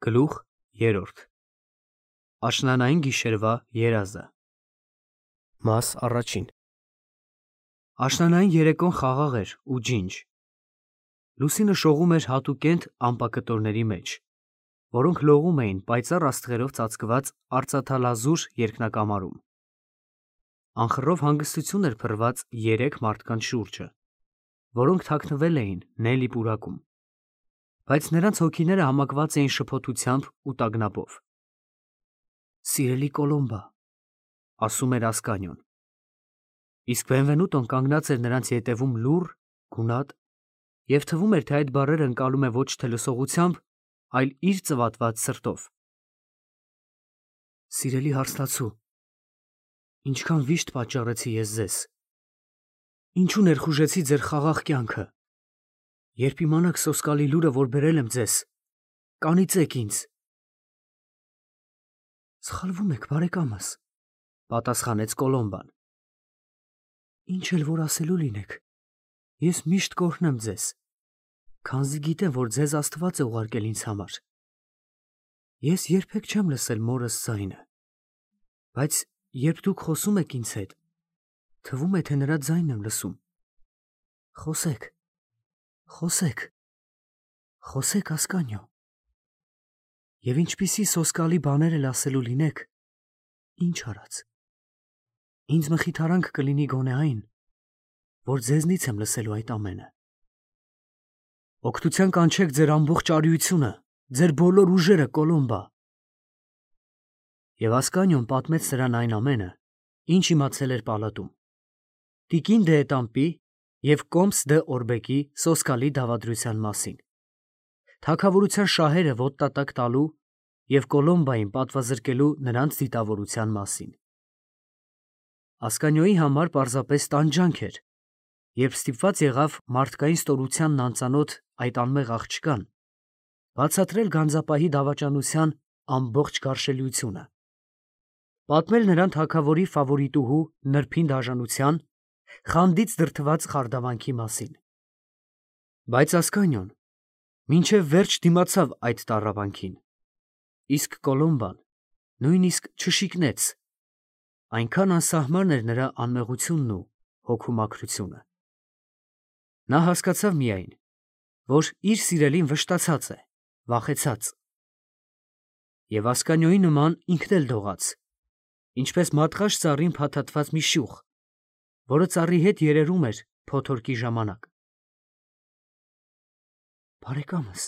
Գլուխ 3 Աշնանային գիշերվա երազը Մաս առաջին Աշնանային երեկոն խաղաղ էր ու ջինջ։ Լուսինը շողում էր հատուկենտ ամպակտորների մեջ, որոնք լողում էին պայծառ աստղերով ծածկված արծաթալազուր երկնակամարում։ Անխռով հանգստություն էր փռված երեք մարդկանց շուրջը, որոնք թաքնվել էին Նելի պուրակում, բայց նրանց հոգիները համակված էին շփոթությամբ ու տագնապով։ «Սիրելի Կոլոմբա», ասում էր Ասկանիոն, իսկ Բենվենուտոն կանգնած էր նրանց ետևում լուռ, գունատ, և թվում էր, թե այդ բառերը ընկալում է ոչ թե լսողությամբ, այլ իր ծվատված սրտով։ «Սիրելի հարսնացու, ինչքան վիշտ պատճառեցի ես ձեզ, ինչու ներխուժեցի ձեր խաղաղ կյանքը, երբ իմանաք սոսկալի լուրը, որ բերել եմ ձեզ, կանիծեք ինձ»։ «Սխալվում եք, բարեկամս», պատասխանեց Կոլոմբան։ «Ինչ էլ որ ասելու լինեք, ես միշտ կօրհնեմ ձեզ, քանզի գիտեմ, որ ձեզ Աստված է ուղարկել ինձ համար։ Ես երբեք չեմ լսել մորս ձայնը, բայց երբ դուք խոսում եք ինձ հետ, թվում է, թե նրա ձայնն եմ լսում։ Խոսեք, խոսեք, խոսեք, Ասկանիո, և ինչպիսի սոսկալի բաներ էլ ասելու լինեք, ինչ արած, ինձ մխիթարանք կլինի գոնե այն, որ ձեզնից եմ լսելու այդ ամենը։ Օգնության կանչեք ձեր ամբողջ արիությունը, ձեր բոլոր ուժերը, Կոլոմբա»։ Եվ Ասկանիոն պատմեց նրան այն ամենը, ինչ իմացել էր պալատում, տիկին Դ'Ետամպի և կոմս դ'Օրբեկի սոսկալի դավադրության մասին, թագավորության շահերը ոտնատակ տալու և Կոլոմբային պատվազրկելու նրանց դիտավորության մասին։ Ասկանիոյի համար պարզապես տանջանք էր, երբ ստիպված եղավ մարդկային ստորությանն անծանոթ այդ անմեղ աղջկան բացատրել գանձապահի դավաճանության ամբողջ գարշելիությունը, պատմել նրան թագավորի ֆավորիտուհու նրբին դաժանության, խանդից դրդված խարդավանքի մասին։ Բայց Ասկանիոն մինչև վերջ դիմացավ այդ տառապանքին, իսկ Կոլոմբան նույնիսկ չշիկնեց, այնքան անսահման էր նրա անմեղությունն ու հոգու մաքրությունը։ Նա հասկացավ միայն, որ իր սիրելին վշտացած է, վախեցած։ Եվ Ասկանիոյի նման ինքն էլ դողաց, ինչպես մատղաշ ծառին փաթաթված մի շյուղ, որը ծառի հետ երերում էր փոթորկի ժամանակ։ «Բարեկամս,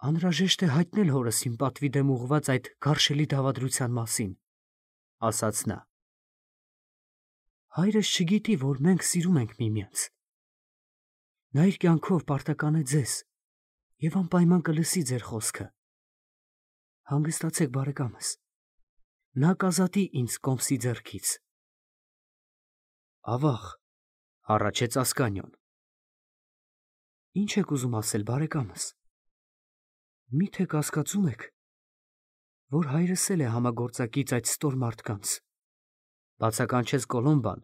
անհրաժեշտ է հայտնել հորս իմ պատվի դեմ ուղղված այդ գարշելի դավադրության մասին», ասաց նա։ «Հայրս չգիտի, որ մենք սիրում ենք միմյանց։ Նա իր կյանքով պարտական է ձեզ և անպայման կլսի ձեր խոսքը։ Հանգստացեք, բարեկամս, նա կազատի ինձ կոմսի ձեռքից»։ «Ավաղ», հառաչեց Ասկանիոն։ «Ինչ եք ուզում ասել, բարեկամս։ Մի՞թե կասկածում եք, որ հայրս էլ է համագործակից այդ ստոր մարդկանց», բացականչեց Կոլոմբան,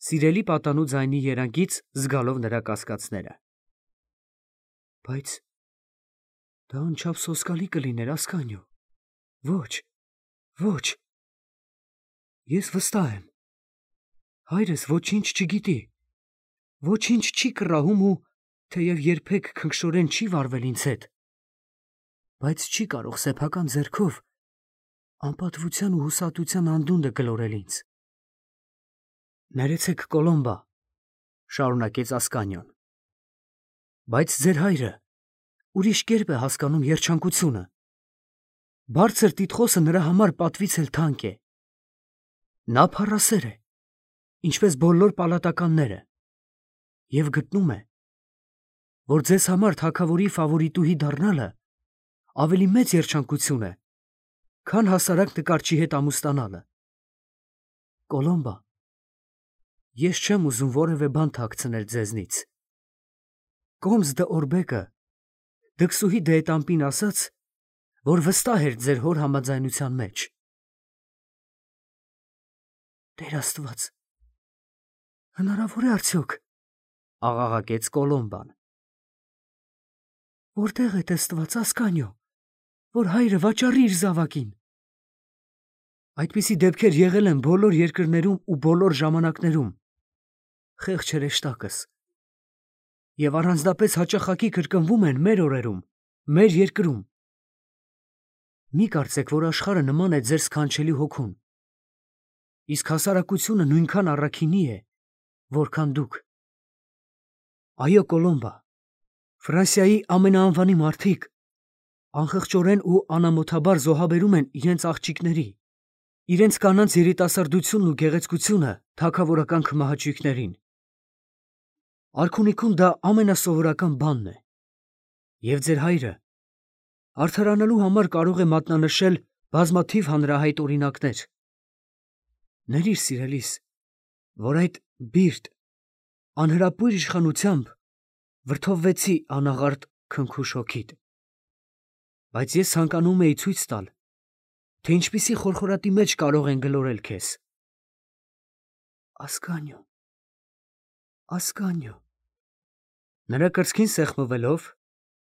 սիրելի պատանու ձայնի երանգից զգալով նրա կասկածները։ «Բայց դա անչափ սոսկալի կլիներ, Ասկանիո, ոչ, ոչ։ Ես վստահ եմ, հայրս ոչինչ չգիտի, ոչինչ չի կռահում ու թեև երբեք քնքշորեն չի վարվել ինձ հետ, բայց չի կարող սեփական ձեռքով անպատվության ու հուսահատության անդունդը գլորել ինձ»։ «Ներեցեք, Կոլոմբա», շարունակեց Ասկանիոն, «բայց ձեր հայրը ուրիշ կերպ է հասկանում երջանկությունը։ Բարձր տիտղոսը նրա համար պատվից էլ թանկ է։ Նա փառասեր է, ինչպես բոլոր պալատականները, և գտնում է, որ ձեզ համար թագավորի ֆավորիտուհի դառնալը ավելի մեծ երջանկություն է, քան հասարակ նկարչի հետ ամուսնանալը։ Կոլոմբա, ես չեմ ուզում որևէ բան թաքցնել ձեզնից։ Կոմս դ'Օրբեկը դքսուհի Դ'Ետամպին ասաց, որ վստահ էր ձեր հոր համաձայնության մեջ»։ «Տեր Աստված, հնարավոր է արդյոք», աղաղակեց Կոլոմբան։ «Որտե՞ղ է տեսնված, Ասկանիո, որ հայրը վաճառի իր զավակին։ Այդպիսի դեպքեր եղել են բոլոր երկրներում ու բոլոր ժամանակներում։ Խեղճ հրեշտակս։ Եվ առանձնապես հաճախակի կրկնվում են մեր օրերում, մեր երկրում։ Մի կարծեք, որ աշխարհը նման է ձեր սքանչելի հոգուն։ Իսկ հասարակությունը նույնքան առաքինի է, որքան դուք։ Այո, Կոլոմբա, Ֆրանսիայի ամենաանվանի մարդիկ անխղճորեն ու անամոթաբար զոհաբերում են իրենց աղջիկների, իրենց կանանց երիտասարդությունն ու գեղեցկությունը թագավորական քմահաճույքներին։ Արքունիքում դա ամենասովորական բանն է։ Եվ ձեր հայրը արդարանալու համար կարող է մատնանշել բազմաթիվ հանրահայտ օրինակներ։ Ներիր, սիրելիս, որ այդ բիրտ, անհրապույր իշխանությամբ վրդովվեցի անաղարտ քնքուշ հոգիդ։ Բայց ես ցանկանում էի ցույց տալ, թե ինչպիսի խորխորատի մեջ կարող են գլորել քեզ։ Ասկանյո, ասկանյո։ Նրա կրծքին սեղմվելով,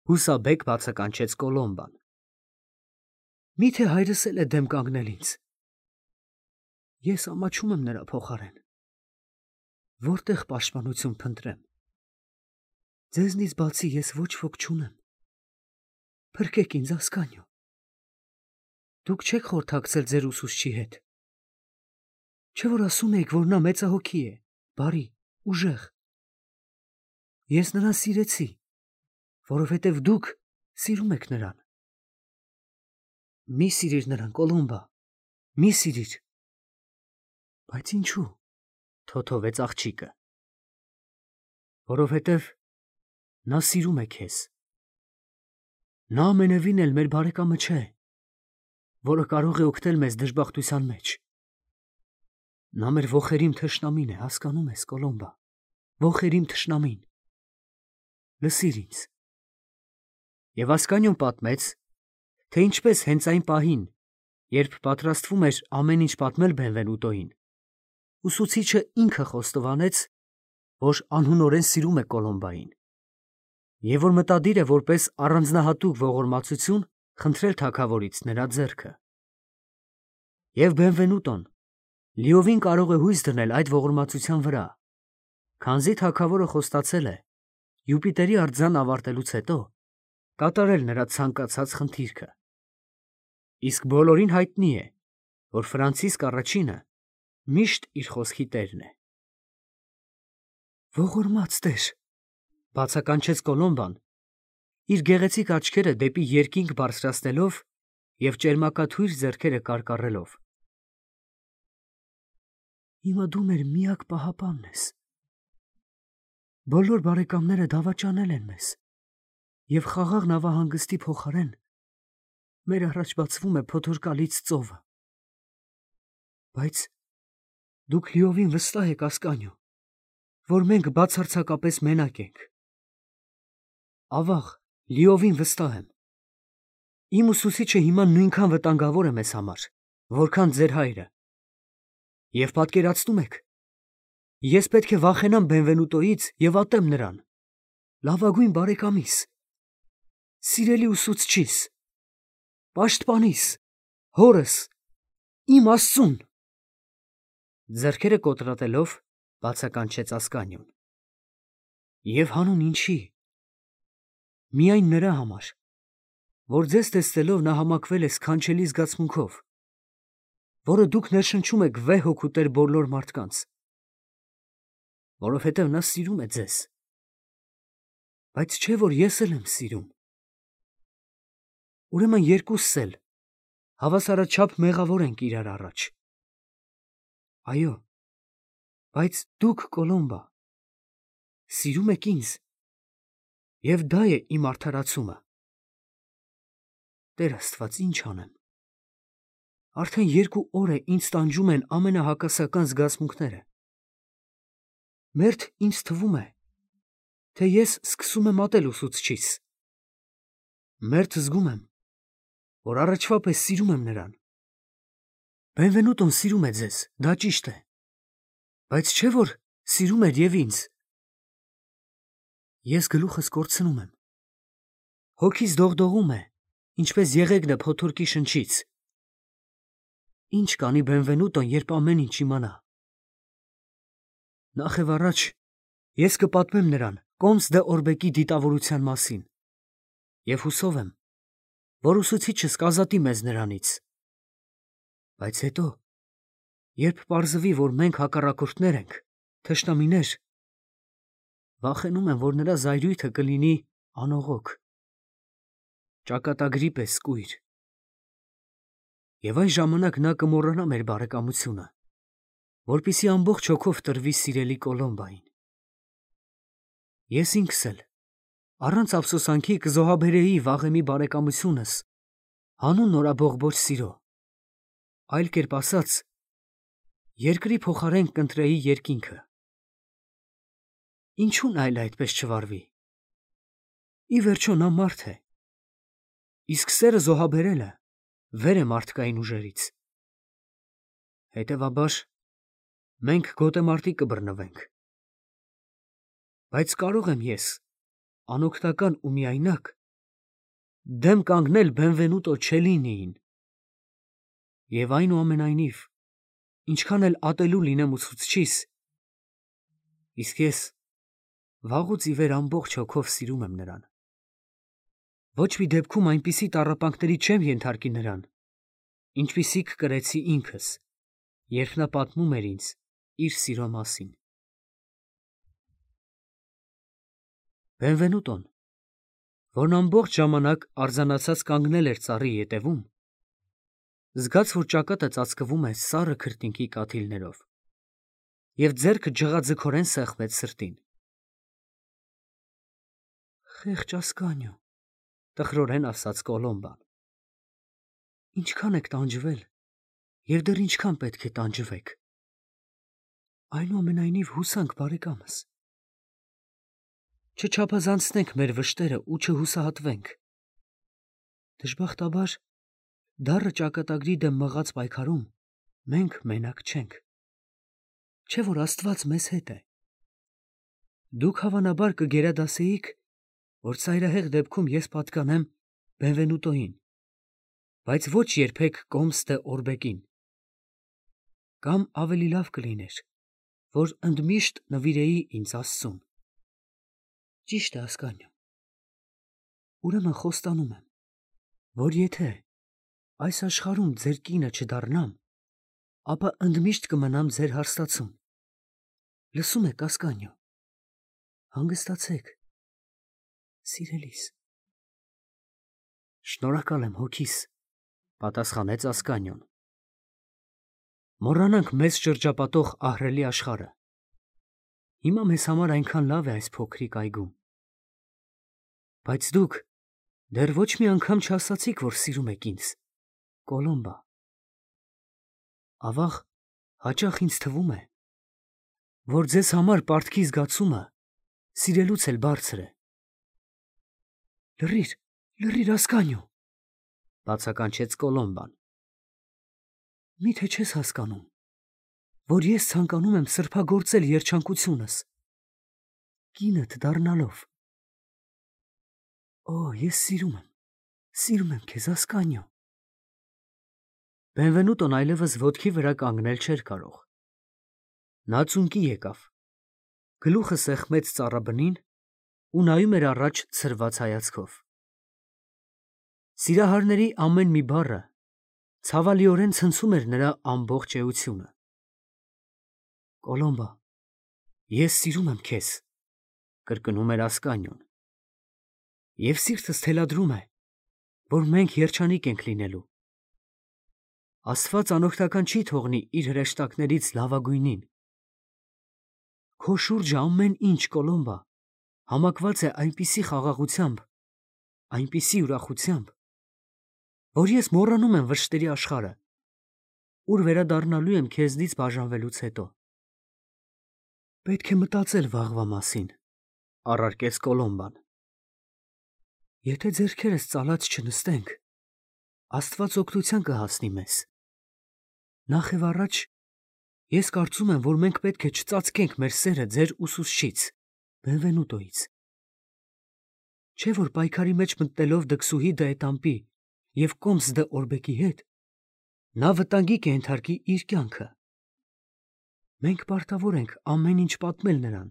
հուսաբեկ բացականչեց Կոլոմբան։ Միթե հայրս էլ է դեմ կանգնել ինձ։ Ես ամաչում եմ նրա փոխարեն։ Որտեղ պաշտպանություն փնտրեմ։ Ձեզնից բացի ես ոչ ոք չունեմ։ Փրկեք ինձ, ասկանյո։ Դուք չեք խորհրդակցել ձեր ուսուցչի հետ։ Չէ՞ որ ասում եք, որ նա մեծահոգի է, բարի, ուժեղ։ Ես նրան սիրեցի, որովհետև դուք սիրում եք նրան։ Մի սիրիր նրան, Կոլոմբա, մի սիրիր։ Բայց ինչու՞, թոթովեց աղջիկը։ Որովհետև նա սիրում է քեզ։ Նա ամենևին էլ մեր բարեկամը չէ, որը կարող է օգնել մեզ դժբախտության մեջ։ Նա մեր ոխերիմ թշնամին է, հասկանում ես, Կոլոմբա, ոխերիմ թշնամին։ Լսիր ինձ։ Եվ Ասկանյոն պատմեց, թե ինչպես հենց այն պահին, երբ պատրաստվում էր ամեն ինչ պատմել Բենվենուտոյին, ուսուցիչը ինքը խոստովանեց, որ անհունորեն սիրում է Կոլոմբային, և որ մտադիր է որպես առանձնահատուկ ողորմածություն խնդրել թագավորից նրա ձեռքը։ Եվ Բենվենուտոն լիովին կարող է հույս դնել այդ ողորմածության վրա, քանզի թագավորը խոստացել է Յուպիտերի արձան ավարտելուց հետո կատարել նրա ցանկացած խնդիրքը։ Իսկ բոլորին հայտնի է, որ Ֆրանցիսկ առաջինը միշտ իր խոսքի տերն է։ Ողորմած տեր, բացականչեց Կոլոմբան, իր գեղեցիկ աչքերը դեպի երկինք բարձրացնելով և ճերմակաթույր ձեռքերը կարկառելով։ Հիմա դու մեր միակ պահապանն ես։ Բոլոր բարեկամները դավաճանել են մեզ, և խաղաղ նավահանգստի փոխարեն մեր առաջ բացվում է փոթորկալից ծովը։ Բայց դուք լիովին վստահ եք, Ասկանյո, որ մենք բացարձակապես մենակ ենք։ Ավաղ, լիովին վստահ եմ։ Իմ ուսուցիչը հիմա նույնքան վտանգավոր է մեզ համար, որքան ձեր հայրը։ Եվ պատկերացնում եք, ես պետք է վախենամ Բենվենուտոյից և ատեմ նրան, լավագույն բարեկամիս, սիրելի ուսուցչիս, պաշտպանիս, հորս, իմ Աստծուն։ Ձեռքերը կոտրատելով բացականչեց Ասկանյոն։ Եվ հանուն ինչի։ Միայն նրա համար, որ ձեզ տեսնելով նա համակվել է սքանչելի զգացմունքով, որը դուք ներշնչում եք վեհ հոգուտեր բոլոր մարդկանց, որովհետև նա սիրում է ձեզ։ Բայց չէ՞ որ ես էլ եմ սիրում։ Ուրեմն երկուսս էլ հավասարաչափ մեղավոր ենք իրար առաջ։ Այո, բայց դուք, Կոլոմբա, սիրում եք ինձ, և դա է իմ արդարացումը։ Տեր Աստված, ինչ անեմ։ Արդեն 2 օր է ինձ տանջում են ամենահակասական զգացմունքները։ Մերթ ինձ թվում է, թե ես սկսում եմ ատել ուսուցչիս։ Մերթ զգում եմ, որ առաջվա պես սիրում եմ նրան։ Բենվենուտոն սիրում է ձեզ, դա ճիշտ է, բայց չէ՞ որ սիրում էր և ինձ։ Ես գլուխս կորցնում եմ։ Հոգիս դողդողում է, ինչպես եղեգնը փոթորկի շնչից։ Ինչ կանի Բենվենուտոն, երբ ամեն ինչ իմանա։ Նախ եւ առաջ ես կպատմեմ նրան Կոմս դե Օրբեկի դիտավորության մասին եւ հուսով եմ, որ ուսուցիչս կազատի մեզ նրանից։ Բայց հետո, երբ պարզվի, որ մենք հակառակորդներ ենք, թշնամիներ, վախենում եմ, որ նրա զայրույթը կլինի անողոք, ճակատագրի պես կույր։ Եվ այն ժամանակ նա կմոռանա մեր բարեկամությունը, որպեսզի ամբողջ հոգով տրվի սիրելի Կոլոմբային։ Ես ինքս էլ, առանց ափսոսանքի կզոհաբերեի վաղեմի բարեկամությունս, հանուն նորաբողբոջ սիրո, այլ կերպ ասած, երկրի փոխարեն կընտրեի երկինքը։ Ինչու՞ն այլ այդպես չվարվի։ Ի վերջո նա մարդ է, իսկ սերը զոհաբերելը վեր է մարդկային ուժերից։ Հետևաբար, մենք գոտեմարտի կբռնվենք։ Բայց կարող եմ ես, անօգնական ու միայնակ, դեմ կանգնել Բենվենուտո Չելինիին։ Եվ այնուամենայնիվ, ինչքան էլ ատելու լինեմ ուսուցչիս, իսկ ես վաղուց ի վեր ամբողջ հոգով սիրում եմ նրան։ Ոչ մի դեպքում այնպիսի տառապանքների չեմ ենթարկի նրան, ինչպիսիք կրեցի ինքս, երբ նա պատմում էր ինձ իր սիրո մասին։ Բենվենուտոն, որն ամբողջ ժամանակ արձանացած կանգնել էր ծառի ետևում, զգաց, որ ճակատը ծածկվում է սառը քրտինքի կաթիլներով, և ձեռքը ջղաձգորեն սեղմեց սրտին։ Խեղճ Ասկանիո, տխրորեն ասաց Կոլոմբան, ինչքան եք տանջվել, և դեռ ինչքան պետք է տանջվեք։ Այնուամենայնիվ հուսանք, բարեկամս։ Չչափազանցնենք մեր վշտերը ու չհուսահատվենք։ Դժբախտաբար, դառը ճակատագրի դեմ մղած պայքարում մենք մենակ չենք։ Չէ՞ որ Աստված մեզ հետ է։ Դուք հավանաբար կգերադասեիք, որ ծայրահեղ դեպքում ես պատկանեմ Բենվենուտոին, բայց ոչ երբեք Կոմս դե Օրբեկին։ Կամ ավելի լավ կլիներ, որ ընդմիշտ նվիրեի ինձ Աստծուն։ Ճիշտ է, Ասկանիո։ Ուրեմն խոստանում եմ, որ եթե այս աշխարհում ձեր կինը չդառնամ, ապա ընդմիշտ կմնամ ձեր հարստացում։ Լսում եք, Ասկանիո։ Հանգստացեք, սիրելիս։ Շնորհակալ եմ, հոգիս, պատասխանեց Ասկանիոն։ Մոռանանք մեզ շրջապատող ահռելի աշխարհը։ Հիմա մեզ համար այնքան լավ է այս փոքրիկ այգում։ Բայց դուք դեռ ոչ մի անգամ չասացիք, որ սիրում եք ինձ, Կոլոմբա։ Ավաղ, հաճախ ինձ թվում է, որ ձեզ համար պարտքի զգացումը սիրելուց էլ բարձր է։ Լռիր, Ասկանիո, բացականչեց Կոլոմբան։ Միթե չես հասկանում, որ ես ցանկանում եմ սրբագործել երջանկությունս, կինդ դառնալով։ Օ, ես սիրում եմ քեզ, Ասկանիո։ Բենվենուտոն այլևս ոտքի վրա կանգնել չէր կարող։ Նա ծունկի եկավ, գլուխը սեղմեց ծառաբնին ու նայում էր առաջ ցրված հայացքով։ Սիրահարների ամեն մի բառը ցավալիորեն ցնցում էր նրա ամբողջ էությունը։ Կոլոմբա, ես սիրում եմ քեզ, կրկնում էր Ասկանիոն։ Եվ սիրտս թելադրում է, որ մենք երջանիկ ենք լինելու։ Աստված անօգնական չի թողնի իր հրեշտակներից լավագույնին։ Քո շուրջը ամեն ինչ, Կոլոմբա, համակված է այնպիսի խաղաղությամբ, այնպիսի ուրախությամբ, որ ես մոռանում եմ վշտերի աշխարհը, ուր վերադառնալու եմ քեզնից բաժանվելուց հետո։ Պետք է մտածել վաղվա մասին, առարկեց Կոլոմբան։ Եթե ձեռքերս ծալած չնստենք, Աստված օգնության կհասնի մեզ։ Նախ եւ առաջ, ես կարծում եմ, որ մենք պետք է չծածկենք մեր սերը ձեր ուսուցչից, Բենվենուտոից։ Չէ՞ որ պայքարի մեջ մտնելով դքսուհի դեետամպի և Կոմս դե Օրբեկի հետ, նա վտանգի կենթարկի իր կյանքը։ Մենք պարտավոր ենք ամեն ինչ պատմել նրան,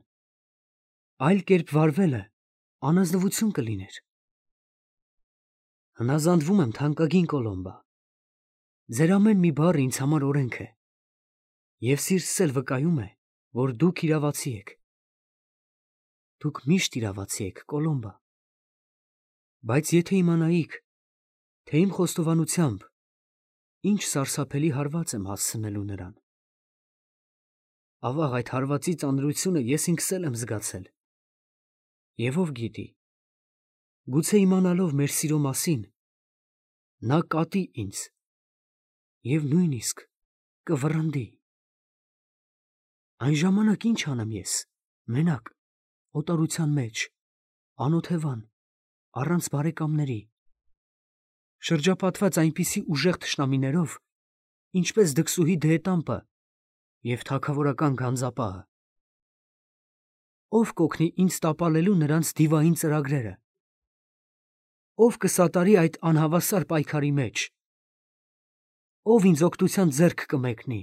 այլ կերպ վարվելը անազնվություն կլիներ։ Հնազանդվում եմ թանկագին Կոլոմբա, ձեր ամեն մի բառը ինձ համար օրենք է, և սիրտս էլ վկայում է, որ դուք իրավացի եք։ Դուք միշտ իրավացի եք, Կոլոմբա, բայց եթե իմանայիք, թե իմ խոստովանությամբ ինչ սարսափելի հարված եմ հասցնելու նրան, ավաղ այդ հարվածի ծանրությունը ես ինքս էլ եմ զգացել, և ով գիտի, գուցե իմանալով մեր սիրո մասին, նա կատի ինձ և նույնիսկ կվռնդի։ Այն ժամանակ ինչ անեմ ես, մենակ, օտարության մեջ, անօթևան, առանց բարեկամների, շրջապատված այնպիսի ուժեղ թշնամիներով, ինչպես դքսուհի դեհետամպը և թագավորական գանձապահը։ Ո՞վ կօգնի ինձ տապալելու նրանց դիվային ծրագրերը։ Ո՞վ կսատարի այդ անհավասար պայքարի մեջ։ Ո՞վ ինձ օգնության ձեռք կմեկնի։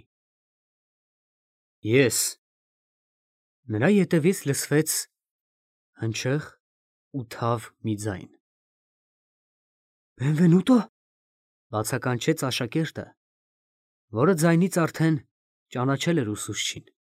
Ես։ Նրա ետևից լսվեց հնչեղ ու թավ մի ձայն։ Բենվենուտո, բացականչեց աշակերտը, որը ձայնից արդեն ճանաչել էր ուսուցչին։